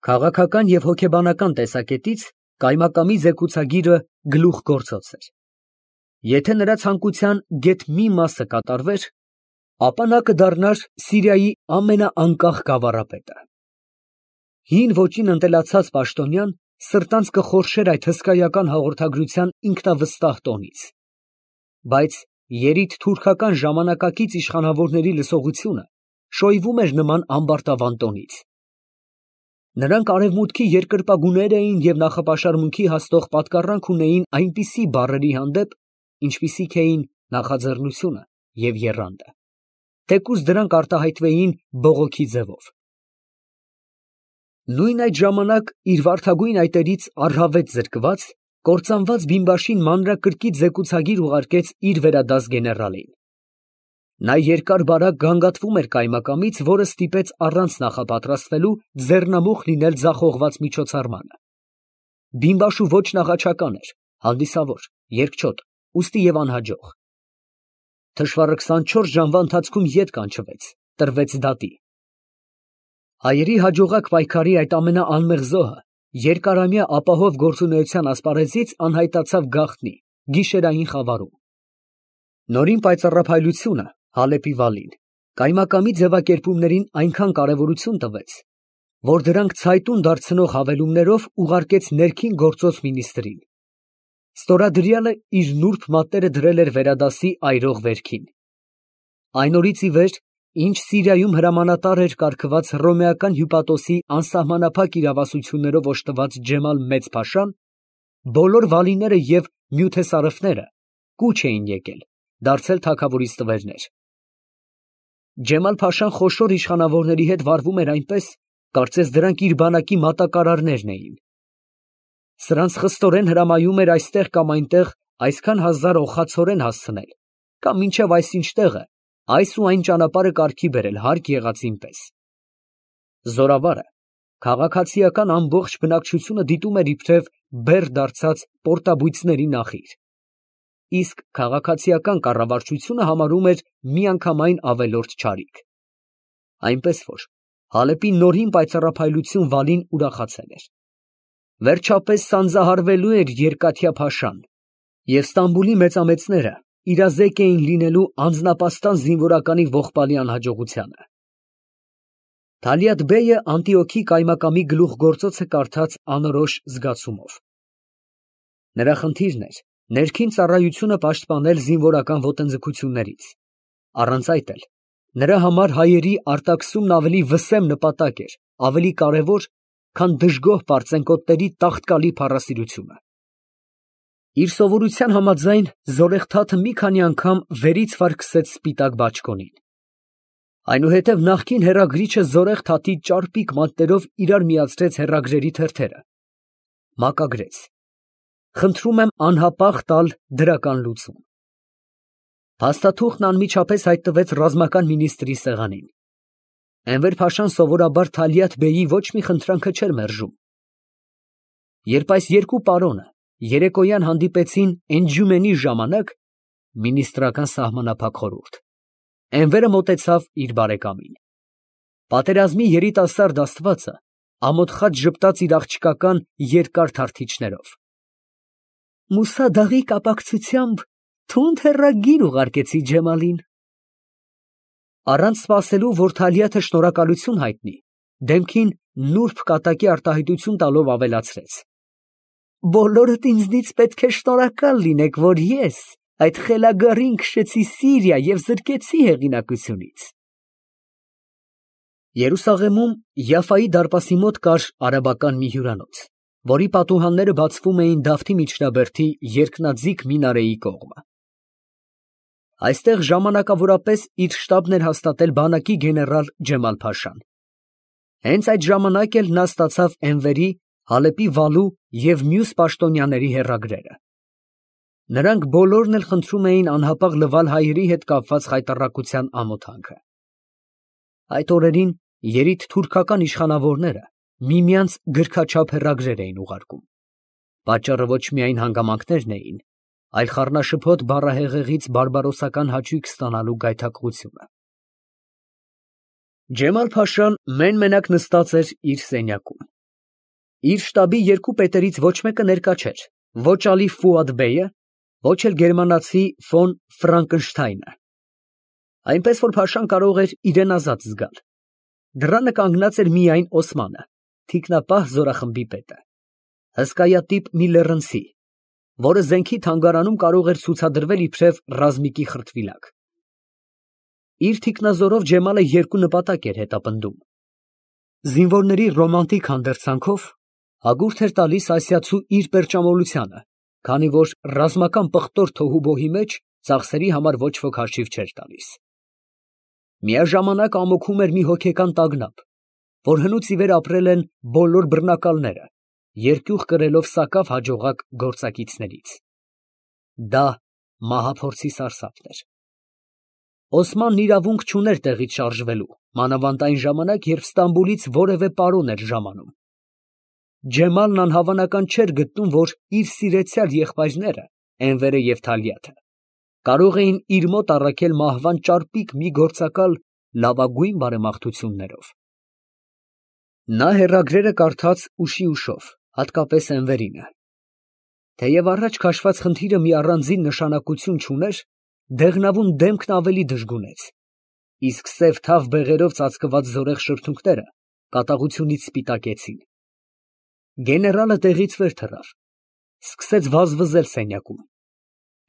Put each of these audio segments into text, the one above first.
Քաղաքական և հոգեբանական տեսակետից կայմակամի զեկուցագիրը գլուխգործոց էր. եթե նրա ցանկության գեթ մի մասը կատարվեր, ապա նա կդառնար Սիրիայի ամենաանկախ գավառապետը։ Հին ոճին ընտելացած պաշտոնյան սրտանց կխորշեր այդ հսկայական հաղորդագրության ինքնավստահ տոնից, բայց երիտթուրքական ժամանակակից իշխանավորների լսողությունը շոյվում էր նման ամբարտավան տոնից։ Նրանք արևմուտքի երկրպագուներ էին և նախապաշարմունքի հասնող պատկառանք ունեին այնպիսի բառերի հանդեպ, ինչպիսիք էին նախաձեռնությունը և եռանդը, թեկուզ դրանք արտահայտվեին բողոքի ձևով։ Նույն այդ ժամանակ իր վարդագույն այտերից առհավետ զրկված, կործանված բիմբաշին մանրակրկիտ զեկուցագիր ուղարկեց իր վերադաս գեներալին։ Նա երկար֊բարակ գանգատվում էր կայմակամից, որը ստիպեց առանց նախապատրաստվելու ձեռնամուխ լինել ձախողված միջոցառմանը։ Բիմբաշու ոճն աղաչական էր, հանդիսավոր, երկչոտ, ուստի և անհաջող։ Թշվառը 24 ժամվա ընթացքում ետ կանչվեց, տրվեց դատի։ Հայերի հաջողակ պայքարի այդ ամենաանմեղ զոհը երկարամյա ապահով գործունեության ասպարեզից անհայտացավ գաղտնի, գիշերային խավարում։ Նորին պայծառափայլությունը Հալեպի վալին կայմակամի ձևակերպումներին այնքան կարևորություն տվեց, որ դրանք ցայտուն դարձնող հավելումներով ուղարկեց ներքին գործոս մինիստրին։ Ստորադրյալը իր նուրբ մատները դրել էր վերադասի այրող վերքին։ Այն օրից ի վեր, ինչ Սիրիայում հրամանատար էր կարգված հռոմեական հյուպատոսի անսահմանափակ իրավասություններով օժտված Ջեմալ մեծ փաշան, բոլոր վալիները և նյութեսարëվները կուչ էին եկել, դարձել թագավորի ստվերներ։ Ջեմալ փաշան խոշոր իշխանավորների հետ վարվում էր այնպես, կարծես դրանք իր բանակի մատակարարներն էին։ Սրանց խստորեն հրամայում էր այստեղ կամ այնտեղ այսքան հազար օղացորեն հասցնել, կամ մինչև այսինչ տեղը այս ու այն ճանապարհը կարգի բերել հարկ եղածին պես։ Զորավարը քաղաքացիական ամբողջ բնակչությունը դիտում էր իբրև բեռ դարձած պորտաբույծների նախիր, իսկ քաղաքացիական կառավարչությունը համարում էր միանգամայն ավելորդ չարիք։ Այնպես որ Հալեպի նորին պայծառափայլություն վալին ուրախացել էր։ Վերջապես սանձահարվելու էր երկաթյա փաշան, և Ստամբուլի մեծամեծները իրազեկ էին լինելու անձնապաստան զինվորականի ողբալի անհաջողությանը։ Թալիաթ֊բեյը Անտիոքի կայմակամի գլուխգործոցը կարդաց անորոշ զգացումով։ Նրա խնդիրն էր ներքին ծառայությունը պաշտպանել զինվորական ոտնձգություններից, առանց այդ էլ նրա համար հայերի արտաքսումն ավելի վսեմ նպատակ էր, ավելի կարևոր, քան դժգոհ պարծենկոտների տաղտկալի փառասիրությունը։ Իր սովորության համաձայն Զորեղթաթը մի քանի անգամ վերից վար քսեց սպիտակ բաճկոնին։ Այնուհետև նախկին հեռագրիչը Զորեղթաթի ճարպիկ մատներով իրար միացրեց հեռագրերի թերթերը, մակագրեց. «Խնդրում եմ անհապաղ տալ դրական լուծում»։ Փաստաթուղթն անմիջապես հայտնվեց ռազմական մինիստրի սեղանին։ Էնվեր փաշան սովորաբար Թալիաթ֊բեյի ոչ մի խնդրանքը չէր մերժում։ Երբ այս երկու պարոնը երեկոյան հանդիպեցին էնջումենի ժամանակ (մինիստրական սահմանափակ խորհուրդ), Էնվերը մոտեցավ իր բարեկամին։ Պատերազմի երիտասարդ աստվածը ամոթխած ժպտաց իր աղջկական երկար թարթիչներով։ Մուսա դաղի կապակցությամբ թունդ հեռագիր ուղարկեցի Ջեմալին։ Առանց սպասելու, որ Թալիաթը շնորհակալություն հայտնի, դեմքին նուրբ կատակի արտահայտություն տալով ավելացրեց. բոլորդ ինձնից պետք է շնորհակալ լինեք, որ ես այդ խելագարին քշեցի Սիրիա և զրկեցի հեղինակությունից։ Երուսաղեմում Յաֆայի դարպասի մոտ կար արաբական մի հյուրանոց, որի պատուհանները բացվում էին Դավթի միջնաբերդի երկնաձիգ մինարեի կողմը։ Այստեղ ժամանակավորապես իր շտաբն էր հաստատել բանակի գեներալ Ջեմալ֊փաշան։ Հենց այդ ժամանակ էլ նա ստացավ Էնվերի, Հալեպի վալու և մյուս պաշտոնյաների հեռագրերը։ Նրանք բոլորն էլ խնդրում էին անհապաղ լվալ հայերի հետ կապված խայտառակության ամոթանքը։ Այդ օրերին երիտթուրքական իշխանավորները միմյանց գրքաչափ հեռագրեր էին ուղարկում։ Պատճառը ոչ միայն հանգամանքներն էին, այլ խառնաշփոթ բառահեղեղից բարբարոսական հաճույք ստանալու գայթակղությունը։ Ջեմալ֊փաշան մեն֊մենակ նստած էր իր սենյակում։ Իր շտաբի երկու պետերից ոչ մեկը ներկա չէր, ոչ Ալի Ֆուադ բեյը, ոչ էլ գերմանացի ֆոն Ֆրանկենշտայնը, այնպես որ փաշան կարող էր իրան ազատ զգալ։ Դռանը կանգնած էր միայն Օսմանը, թիկնապահ զորախմբի պետը, հսկայատիպ մի լեռնցի, որը զենքի թանգարանում կարող էր ցուցադրվել իբրև ռազմիկի խրտվիլակ։ Իր թիկնազորով Ջեմալը երկու նպատակ էր հետապնդում. զինվորների ռոմանտիկ հանդերձանքով հագուրդ էր տալիս ասիացու իր պերճամոլությանը, քանի որ ռազմական պղտոր թոհուբոհի մեջ ծախսերի համար ոչ ոք հաշիվ չէր տալիս։ Միաժամանակ ամոքում էր մի հոգեկան տագնապ, որ հնուց ի վեր ապրել են բոլոր բռնակալները, երկյուղ կրելով սակավ հաջողակ գործակիցներից։ Դա մահափորձի սարսափն էր։ Օսմանն իրավունք չուներ տեղից շարժվելու, մանավանդ այն ժամանակ, երբ Ստամբուլից որևէ պարոն էր ժամանում։ Ջեմալն անհավանական չէր գտնում, որ իր սիրեցյալ եղբայրները, Էնվերը և Թալիաթը, կարող էին իր մոտ առաքել մահվան ճարպիկ մի գործակալ լավագույն բարեմաղթություններով։ Նա հեռագրերը կարդաց ուշիուշով, հատկապես Էնվերինը։ Թեև առաջ քաշված խնդիրը մի առանձին նշանակություն չուներ, դեղնավուն դեմքն ավելի դժգունեց, իսկ սև թավ բեղերով ծածկված զորեղ շրթունքները կատաղությունից սպիտակեցին։ Գեներալը տեղից վեր թռավ, սկսեց վազվզել սենյակում։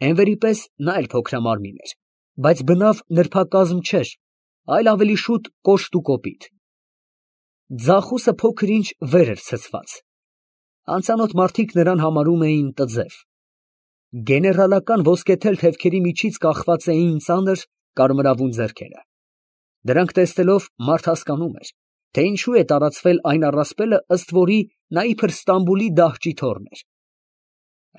Էնվերի պես նա էլ փոքրամարմին էր, բայց բնավ նրբակազմ չէր, այլ ավելի շուտ կոշտ ու կոպիտ։ Ձախուսը փոքր-ինչ վեր էր ցցված։ Անծանոթ մարդիկ նրան համարում էին տձև։ Գեներալական ոսկեթել թևքերի միջից կախված էին ծանր կարմրավուն ձեռքերը։ Դրանք տեսնելով մարդ հասկանում էր, թե ինչու է տարածվել այն առասպելը, ըստ որի նա իբր Ստամբուլի դահճի թոռն էր։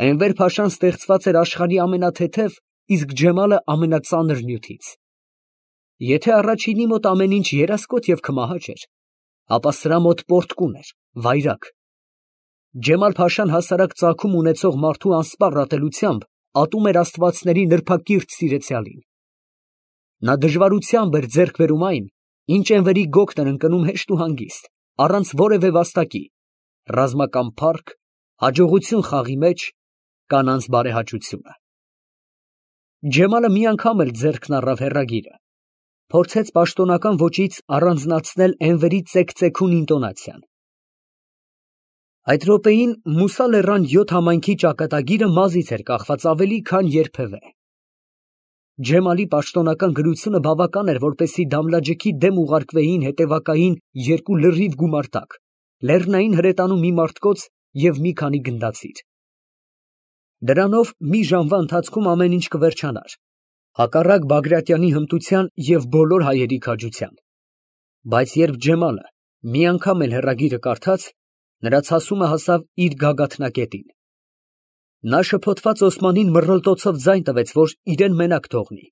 Էնվեր փաշան ստեղծված էր աշխարհի ամենաթեթև, իսկ Ջեմալը ամենածանր նյութից։ Եթե առաջինի մոտ ամեն ինչ երասկոտ և քմահաճ էր, ապա սրա մոտ պորտկուն էր, վայրագ։ Ջեմալ֊փաշան հասարակ ծագում ունեցող մարդու անսպառ ատելությամբ ատում էր աստվածների նրբակիրթ սիրեցյալին։ Նա դժվարությամբ էր ձեռք բերում այն, ինչ Էնվերի գոգն էր ընկնում հեշտ ու հանգիստ, առանց որևէ վաստակի, ռազմական փառք, հաջողություն խաղի մեջ, կանանց բարեհաճությունը։ Ջեմալը մի անգամ էլ ձեռքն առավ հեռագիրը, փորձեց պաշտոնական ոճից առանձնացնել Էնվերի ծեքծեքուն ինտոնացիան։ Այդ րոպեին Մուսա լեռան 7 համայնքի ճակատագիրը մազից էր կախված ավելի, քան երբևէ։ Ջեմալի պաշտոնական գրությունը բավական էր, որպեսզի Դամլաջեքի դեմ ուղարկվեին հետևակային երկու լրիվ գումարտակ, լեռնային հրետանու մի մարտկոց և մի քանի գնդացիր։ Դրանով մի ժամվա ընթացքում ամեն ինչ կվերջանար, հակառակ Բագրատյանի հմտության և բոլոր հայերի քաջության։ Բայց երբ Ջեմալը մի անգամ էլ հեռագիրը կարդաց, նրա ցասումը հասավ իր գագաթնակետին։ Նա շփոթված Օսմանին մռլտոցով ձայն տվեց, որ իրան մենակ թողնի,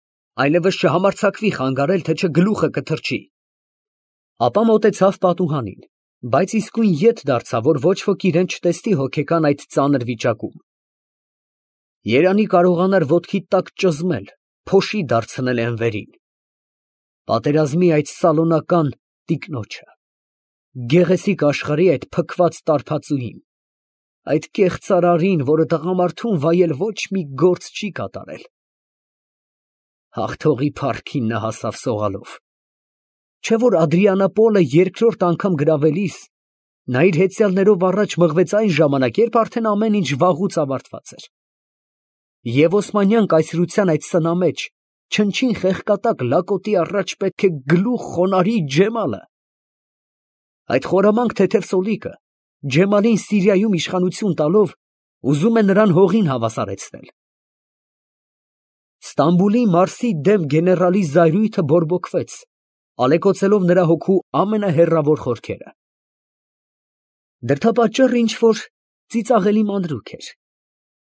այլևս չհամարձակվի խանգարել, թե չէ գլուխը կթռչի։ Ապա մոտեցավ պատուհանին, բայց իսկույն ետ դարձավ, որ ոչ ոք իրան չտեսնի հոգեկան այդ ծանր վիճակում։ Երանի կարողանար ոտքի տակ ճզմել, փոշի դարձնել Էնվերին, պատերազմի այդ սալոնական տիկնոջը, գեղեցիկ աշխարհի այդ փքված տարբածուին, այդ կեղծարարին, որը տղամարդուն վայել ոչ մի գործ չի կատարել։ Հաղթողի փառքին նա հասավ սողալով։ Չէ՞ որ Ադրիանապոլը երկրորդ անգամ գրավելիս նա իր հեծյալներով առաջ մղվեց այն ժամանակ, երբ արդեն ամեն ինչ վաղուց ավարտված էր։ Եվ օսմանյան կայսրության այդ սնամեջ, չնչին խեղկատակ լակոտի առաջ պետք է գլուխ խոնարհի Ջեմալը։ Այդ խորամանկ թեթև սոլիկը, Ջեմալին Սիրիայում իշխանություն տալով, ուզում է նրան հողին հավասարեցնել։ Ստամբուլի Մարսի դեմ գեներալի զայրույթը բորբոքվեց, ալեկոծելով նրա հոգու ամենահեռավոր խորքերը։ Դրդապատճառը ինչ-որ ծիծաղելի մանրուք էր։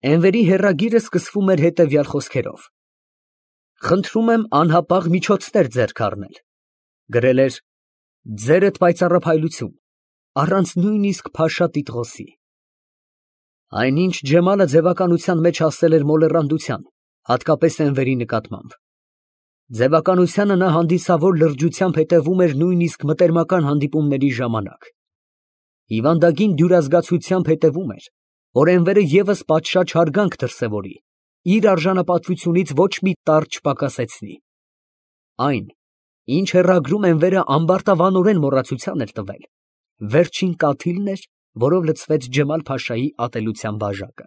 Էնվերի հեռագիրը սկսվում էր հետևյալ խոսքերով. «Խնդրում եմ անհապաղ միջոցներ ձեռք առնել», գրել էր, «ձերդ պայծառափայլություն, առանց նույնիսկ փաշա տիտղոսի»։ Այնինչ Ջեմալը ձևականության մեջ հասել էր մոլեռանդության, հատկապես Էնվերի նկատմամբ։ Ձևականությանը նա հանդիսավոր լրջությամբ հետևում էր նույնիսկ մտերմական հանդիպումների ժամանակ։ Հիվանդագին դյուրազգացությամբ հետևում էր, որ Էնվերը ևս պատշաճ հարգանք դրսևորի, իր արժանապատվությունից ոչ մի տառ չպակասեցնի։ Այն, ինչ հեռագրում Էնվերը ամբարտավանորեն մոռացության էր տվել, վերջին կաթիլն էր, որով լցվեց Ջեմալ֊փաշայի ատելության բաժակը։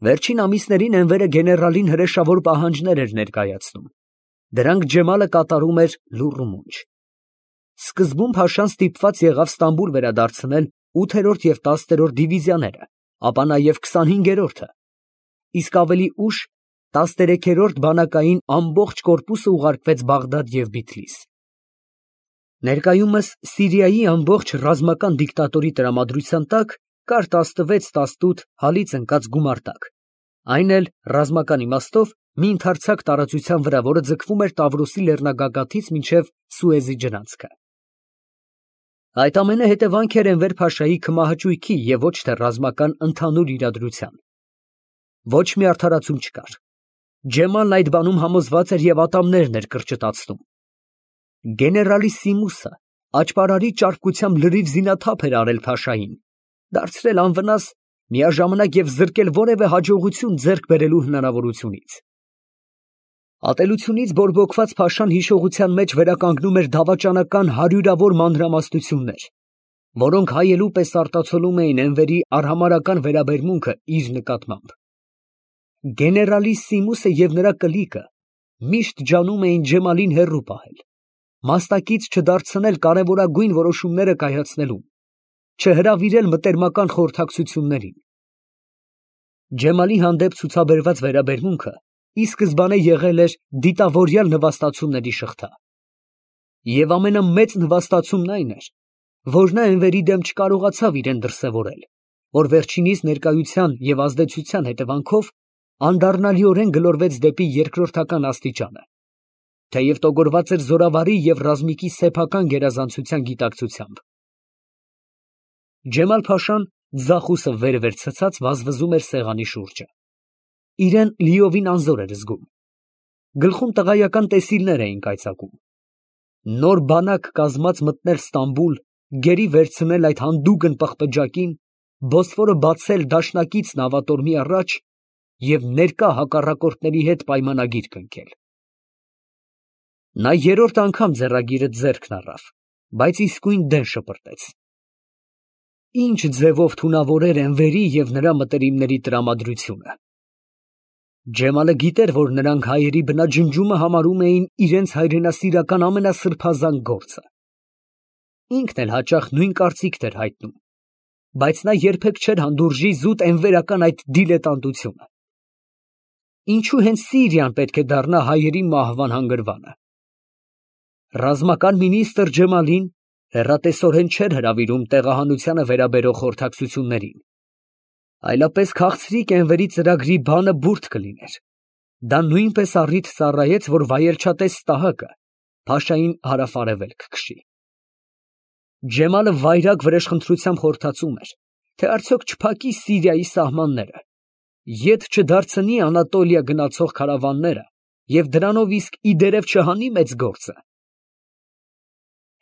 Վերջին ամիսներին Էնվերը գեներալին հրեշավոր պահանջներ էր ներկայացնում, դրանք Ջեմալը կատարում էր լուռ ու մունջ։ Սկզբում փաշան ստիպված եղավ Ստամբուլ վերադարձնել 8-րդ և 10-րդ դիվիզիաները, ապա նաև 25-րդը, իսկ ավելի ուշ 13-րդ բանակային ամբողջ կորպուսը ուղարկվեց Բաղդադ և Բիթլիս։ Ներկայումս Սիրիայի ամբողջ ռազմական դիկտատորի տրամադրության տակ կար 16-18 հալից ընկած գումարտակ, այն էլ ռազմական իմաստով մի ընդարձակ տարածության վրա, որը ձգվում էր Տավրոսի լեռնագագաթից մինչև Սուեզի ջրանցքը։ Այդ ամենը հետևանք էր Էնվեր փաշայի քմահաճույքի և ոչ թե ռազմական ընդհանուր իրադրության։ Ոչ մի արդարացում չկար։ Ջեմալն այդ բանում համոզված էր և ատամներն էր կրճտացնում։ Գեներալի Սիմուսը աճպարարի ճարպկությամբ լրիվ զինաթափ էր արել փաշային, դարձրել անվնաս, միաժամանակ և զրկել որևէ հաջողություն ձեռք բերելու հնարավորությունից։ Ատելությունից բորբոքված փաշան հիշողության մեջ վերականգնում էր դավաճանական հարյուրավոր մանրամասնություններ, որոնք հայելու պես արտացոլում էին Էնվերի արհամարհական վերաբերմունքը իր նկատմամբ։ Գեներալի Սիմուսը և նրա կլիկը միշտ ջանում էին Ջեմալին հեռու պահել, մասնակից չդարձնել կարևորագույն որոշումները կայացնելուն, չհրավիրել մտերմական խորհրդակցություններին։ Ջեմալի հանդեպ ցուցաբերված վերաբերմունքը ի սկզբանե եղել էր դիտավորյալ նվաստացումների շղթա։ Եվ ամենամեծ նվաստացումն այն էր, որ նա Էնվերի դեմ չկարողացավ իրեն դրսևորել, որ վերջինիս ներկայության և ազդեցության հետևանքով անդառնալիորեն գլորվեց դեպի երկրորդական աստիճանը, թեև տոգորված էր զորավարի և ռազմիկի սեփական գերազանցության գիտակցությամբ։ Ջեմալ֊փաշան ձախուսը վեր ցցած վազվզում էր սեղանի շուրջը։ Իրան լիովին անզոր էր զգում։ Գլխում տղայական տեսիլներ էին կայծակում։ Նոր բանակ կազմած մտնել Ստամբուլ, գերի վերցնել այդ հանդուգն պղպջակին, Բոսֆորը բացել դաշնակից նավատորմի առաջ և ներկա հակառակորդների հետ պայմանագիր կնքել։ Նա երրորդ անգամ ձեռագիրը ձեռքն առավ, բայց իսկույն դեն շպրտեց։ Ինչ ձևով թունավորեր Էնվերի և նրա մտերիմների տրամադրությունը։ Ջեմալը գիտեր, որ նրանք հայերի բնաջնջումը համարում էին իրենց հայրենասիրական ամենասրբազան գործը։ Ինքն էլ հաճախ նույն կարծիքն էր հայտնում, բայց նա երբեք չէր հանդուրժի զուտ էնվերական այդ դիլետանտությունը։ Ինչու հենց Սիրիան պետք է դառնա հայերի մահվան հանգրվանը։ Ռազմական մինիստրը Ջեմալին հեռատեսորեն չէր հրավիրում տեղահանությանը վերաբերող խորհրդակցություններին, այլապես քաղցրիկ Էնվերի ծրագրի բանը բուրդ կլիներ։ Դա նույնպես առիթ ծառայեց, որ վայելչատես Ստահակը փաշային հարավ֊արևելք քշի։ Ջեմալը վայրագ վրեժխնդրությամբ խորհրդածում էր, թե արդյոք չփակի Սիրիայի սահմանները, ետ չդարձնի Անատոլիա գնացող քարավանները և դրանով իսկ ի դերև չհանի մեծ գործը։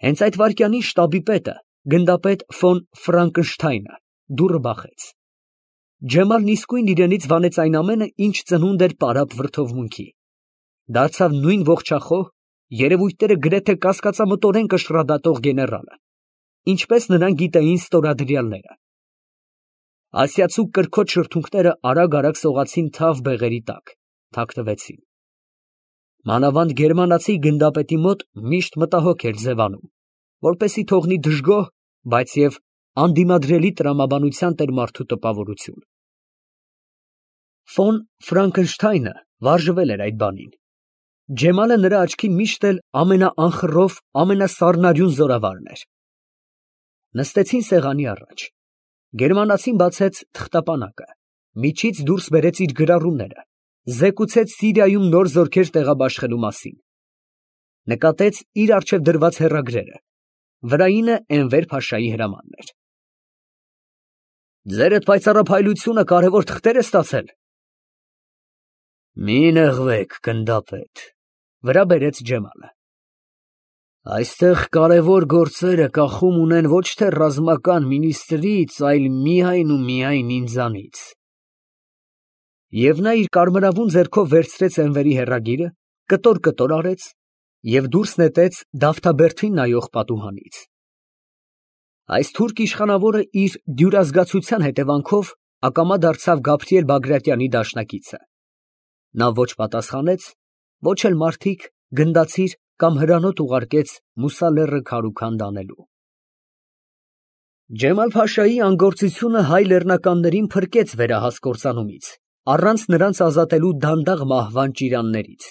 Հենց այդ վայրկյանին շտաբի պետը, գնդապետ ֆոն Ֆրանկենշտայնը դուռը բախեց։ Ջեմալն իսկույն իրենից վանեց այն ամենը, ինչ ծնունդ էր պարապ վրդովմունքի, դարձավ նույն ողջախոհ, երևույթները գրեթե կասկածամտորեն կշռադատող գեներալը, ինչպես նրան գիտեին ստորադրյալները։ Ասիացու կրքոտ շրթունքները արագ սողացին թավ բեղերի տակ, թաքնվեցին։ Մանավանդ գերմանացի գնդապետի մոտ միշտ մտահոգ էր ձևանում, որպեսզի թողնի դժգոհ, բայց և անդիմադրելի տրամաբանության տեր մարդու տպավորություն։ Ֆոն Ֆրանկենշտայնը վարժվել էր այդ բանին։ Ջեմալը նրա աչքին միշտ էլ ամենաանխռով, ամենասառնարյուն զորավարն էր։ Նստեցին սեղանի առաջ։ Գերմանացին բացեց թղթապանակը, միջից դուրս բերեց իր գրառումները, զեկուցեց Սիրիայում նոր զորքեր տեղաբաշխելու մասին։ Նկատեց իր առջև դրված հեռագրերը, վրայինը Էնվեր փաշայի հրամանն էր։ Ձեր այդ պայծառափայլությունը կարևոր թղթեր է ստացել։ Մի նեղվեք, գնդապետ, վրա բերեց Ջեմալը։ Այստեղ կարևոր գործերը կախում ունեն ոչ թե ռազմական մինիստրից, այլ միայն ու միայն ինձանից։ Եվ նա իր կարմրավուն ձեռքով վերցրեց Էնվերի հեռագիրը, կտոր արեց և դուրս նետեց դավթաբերդին նայող պատուհանից։ Այս թուրք իշխանավորը իր դյուրազգացության հետևանքով ակամա դարձավ Գաբրիել Բագրատյանի դաշնակիցը։ Նա ոչ պատասխանեց, ոչ էլ մարդիկ, գնդացիր կամ հրանոթ ուղարկեց Մուսա լեռը քարուքանդ անելու։ Ջեմալ֊Փաշայի անգործությունը հայ լեռնականներին փրկեց վերահաս կործանումից, առանց նրանց ազատելու դանդաղ մահվան ճիրաններից։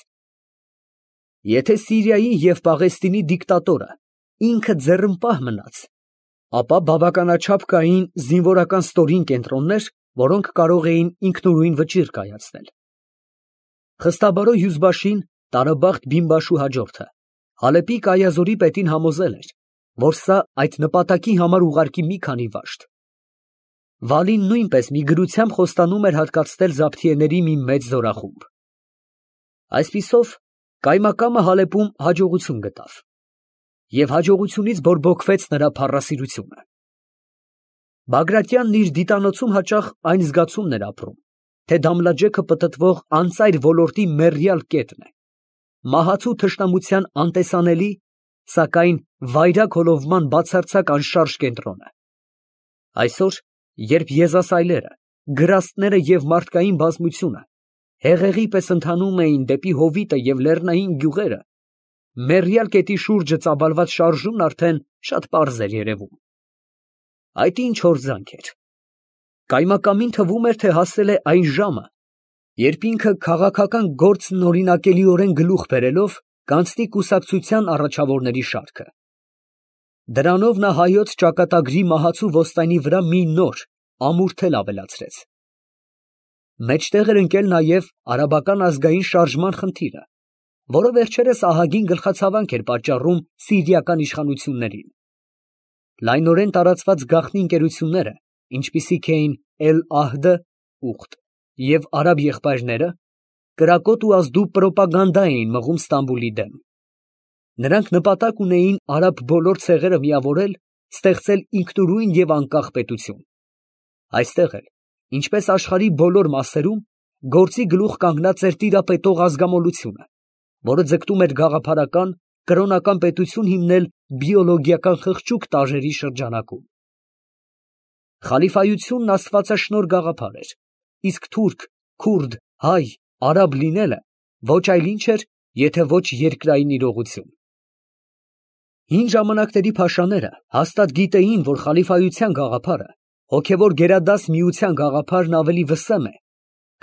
Եթե Սիրիայի և Պաղեստինի դիկտատորը ինքը ձեռնպահ մնաց, ապա բավականաչափ կային զինվորական ստորին կենտրոններ, որոնք կարող էին ինքնուրույն վճիռ կայացնել։ Խստաբարո հյուզբաշին Տարաբախտ Բինբաշու հաջորդը Հալեպի Կայազորի պետին համոզել էր, որ սա այդ նպատակի համար ուղարկի մի քանի վաշտ։ Վալին նույնպես մի գրությամբ խոստանում էր հատկացնել զաբթիեների մի մեծ զորախումբ։ Այսպիսով կայմակամը Հալեպում հաջողություն գտավ, և հաջողությունից բորբոքվեց նրա փառասիրությունը։ Բագրատյանն իր դիտանոցում հաճախ այն զգացումն էր ապրում, թե Դամլաջեքը պտտվող անծայր ոլորտի մեռյալ կետն է, մահացու թշնամության անտեսանելի, սակայն վայրագ հոլովման բացարձակ անշարժ կենտրոնը։ Այսօր, երբ եզասայլերը, գրաստները և մարդկային բազմությունը հեղեղի պես ընթանում էին դեպի հովիտը և լեռնային գյուղերը, մեռյալ կետի շուրջը ծաբալված շարժումն արդեն շատ պարզ էր երևում։ Այդ ինչ հորձանք էր։ Կայմակամին թվում էր, թե հասել է այն ժամը, երբ ինքը քաղաքական գործն օրինակելիորեն գլուխ բերելով կանցնի կուսակցության առաջավորների շարքը։ Դրանով նա հայոց ճակատագրի մահացու ոսկայնի վրա մի նոր, ամուր թել ավելացրեց։ Մեջտեղ էր ընկել նաև արաբական ազգային շարժման խնդիրը, որը վերջերս ահագին գլխացավանք էր պատճառում սիրիական իշխանություններին։ Լայնորեն տարածված գաղտնի ընկերությունները, ինչպիսիք էին Էլ-Ահդը (Ուխտ) և արաբ եղբայրները, կրակոտ ու ազդու պրոպագանդա էին մղում Ստամբուլի դեմ։ Նրանք նպատակ ունեին արաբ բոլոր ցեղերը միավորել, ստեղծել ինքնուրույն և անկախ պետություն։ Այստեղ էլ, ինչպես աշխարհի բոլոր մասերում, գործի գլուխ կանգնած էր տիրապետող ազգամոլությունը, որը ձգտում էր գաղափարական, կրոնական պետություն հիմնել բիոլոգիական խղճուկ տարրերի շրջանակում։ Խալիֆայությունն աստվածաշնորհ գաղափար էր, իսկ թուրք, քուրդ, հայ, արաբ լինելը ոչ այլ ինչ էր, եթե ոչ երկրային իրողություն։ Հին ժամանակների փաշաները հաստատ գիտեին, որ խալիֆայության գաղափարը, հոգևոր գերադաս միության գաղափարն ավելի վսեմ է,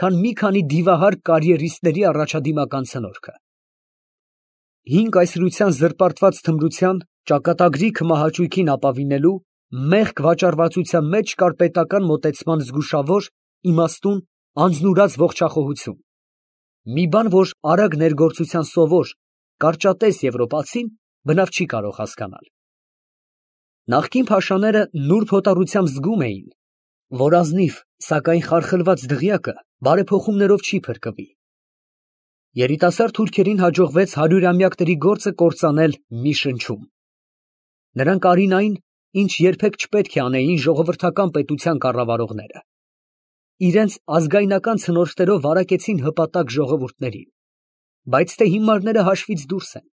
քան մի քանի դիվահար կարիերիստների առաջադիմական ցնորքը։ Հին կայսրության զրպարտված թմրության, ճակատագրի քմահաճույքին ապավինելու, մեղք վաճառվածության մեջ կար պետական մոտեցման զգուշավոր, իմաստուն, անձնուրաց ողջախոհություն։ Մի բան, որ արագ ներգործության սովոր, կարճատես եվրոպացին բնավ չի կարող հասկանալ։ Նախկին փաշաները նուրբ հոտառությամբ զգում էին, որ ազնիվ, սակայն խարխլված դղյակը բարեփոխումներով չի փրկվի։ Երիտասարդ թուրքերին հաջողվեց հարյուրամյակների գործը կործանել մի շնչում։ Նրանք արին այն, ինչ երբեք չպետք է անեին ժողովրդական պետության կառավարողները։ Իրենց ազգայնական ցնորքներով վարակեցին հպատակ ժողովուրդներին, բայց թե հիմարները հաշվից դուրս են։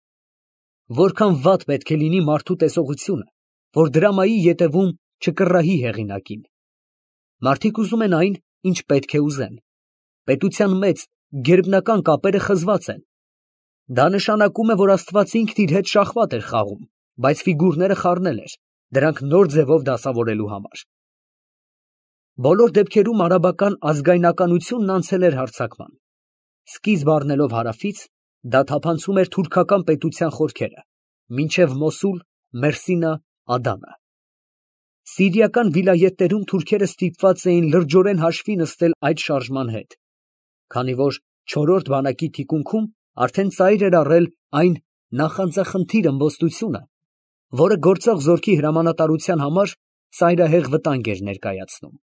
Որքան վատ պետք է լինի մարդու տեսողությունը, որ դրամայի ետևում չկռահի հեղինակին։ Մարդիկ ուզում են այն, ինչ պետք է ուզեն։ Պետության մեջ գերբնական կապերը խզված են։ Դա նշանակում է, որ Աստված ինքն իր հետ շախմատ էր խաղում, բայց ֆիգուրները խառնել էր, դրանք նոր ձևով դասավորելու համար։ Բոլոր դեպքերում արաբական ազգայնականությունն անցել էր հարձակման։ Սկիզբ առնելով հարավից, դա թափանցում էր թուրքական պետության խորքերը, մինչև Մոսուլ, Մերսինա, Ադանը։ Սիրիական վիլայետներում թուրքերը ստիպված էին լրջորեն հաշվի նստել այդ շարժման հետ, քանի որ չորրորդ բանակի թիկունքում արդեն ծայր էր առել այն նախանձախնդիր ըմբոստությունը, որը գործող զորքի հրամանատարության համար ծայրահեղ վտանգ էր ներկայացնում։